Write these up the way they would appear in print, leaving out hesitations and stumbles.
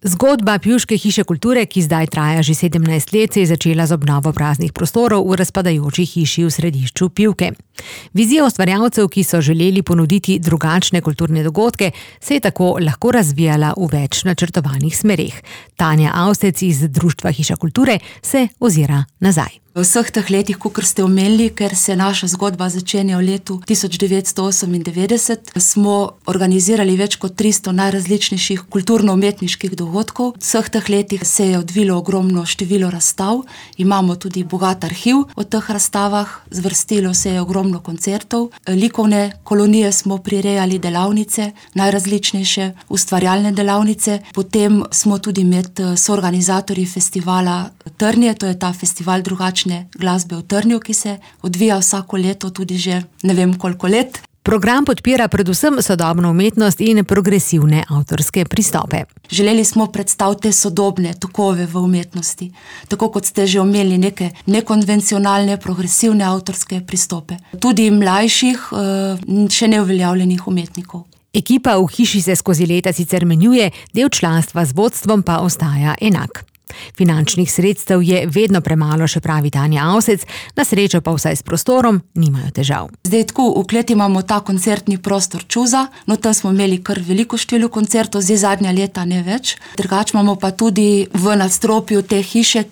Zgodba Pivške hiše kulture, ki zdaj traja že 17 let, se je začela z obnovo praznih prostorov v razpadajoči hiši v središču Pivke. Vizija ustvarjalcev, ki so želeli ponuditi drugačne kulturne dogodke, se je tako lahko razvijala v več načrtovanih smereh. Tanja Avsec iz Društva Hiša kulture se ozira nazaj. V vseh teh letih, kakor ste omenili, ker se naša zgodba začenja v letu 1998, smo organizirali več kot 300 najrazličnejših kulturno-umetniških dogodkov. V vseh teh letih se je odvilo ogromno število razstav, imamo tudi bogat arhiv o teh razstavah, zvrstilo se je ogromno koncertov, likovne kolonije smo prirejali, delavnice, najrazličnejše ustvarjalne delavnice, potem smo tudi med soorganizatorji festivala Trnje, to je ta festival drugačne glasbe v Trnju, ki se odvija vsako leto, tudi že ne vem koliko let. Program podpira predvsem sodobno umetnost in progresivne avtorske pristope. Želeli smo predstaviti sodobne tokove v umetnosti, tako kot ste že omenili, neke nekonvencionalne, progresivne avtorske pristope. Tudi mlajših, še neuveljavljenih umetnikov. Ekipa v hiši se skozi leta sicer menjuje, del članstva z vodstvom pa ostaja enak. Finančnih sredstev je vedno premalo, še pravi Tanja Avsec, na srečo pa vsaj s prostorom nimajo težav. Zdaj tako, v kleti imamo ta koncertni prostor Čuza, no tam smo imeli kar veliko število koncertov, zdaj zadnja leta ne več. Drugače imamo pa tudi v nadstropju te hiše,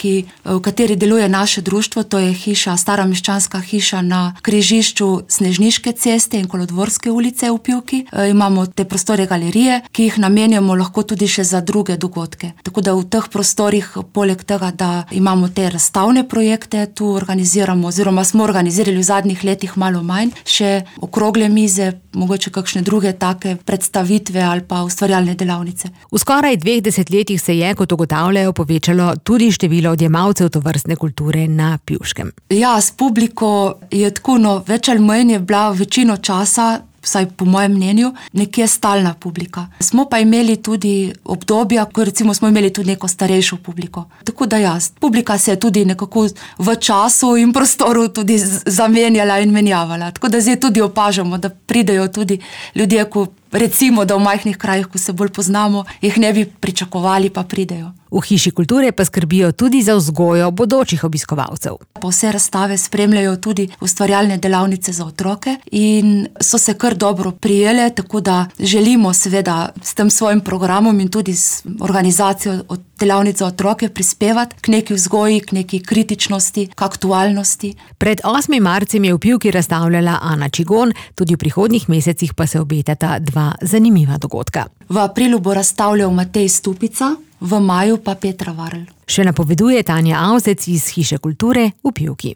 v kateri deluje naše društvo, to je hiša, stara meščanska hiša na križišču Snežniške ceste in Kolodvorske ulice v Pivki. Imamo te prostore galerije, ki jih namenjamo lahko tudi še za druge dogodke. Tako da v teh prostorih, poleg tega, da imamo te razstavne projekte, tu organiziramo, oziroma smo organizirali v zadnjih letih malo manj, še okrogle mize, mogoče kakšne druge take predstavitve ali pa ustvarjalne delavnice. V skoraj 2 desetletjih se je, kot ugotavljajo, povečalo tudi število odjemalcev tovrstne kulture na Pivškem. Ja, s publiko je tako, več ali manj je bila večino časa, vsaj po mojem mnenju, nekje stalna publika. Smo pa imeli tudi obdobja, ko recimo smo imeli tudi neko starejšo publiko. Tako da publika se je tudi nekako v času in prostoru tudi zamenjala in menjavala. Tako da zdaj tudi opažamo, da pridejo tudi ljudje, ko recimo, da v majhnih krajih, ko se bolj poznamo, jih ne bi pričakovali, pa pridejo. V hiši kulture pa skrbijo tudi za vzgojo bodočih obiskovalcev. Pa vse razstave spremljajo tudi ustvarjalne delavnice za otroke in so se kar dobro prijele, tako da želimo seveda s tem svojim programom in tudi s organizacijo delavnic za otroke prispevati k neki vzgoji, k neki kritičnosti, k aktualnosti. Pred 8. marcem je v Pivki razstavljala Ana Čigon, tudi v prihodnjih mesecih pa se obetata 2 zanimiva dogodka. V aprilu bo razstavljal Matej Stupica, v maju pa Petra Varl. Še napoveduje Tanja Avsec iz Hiše kulture v Pivki.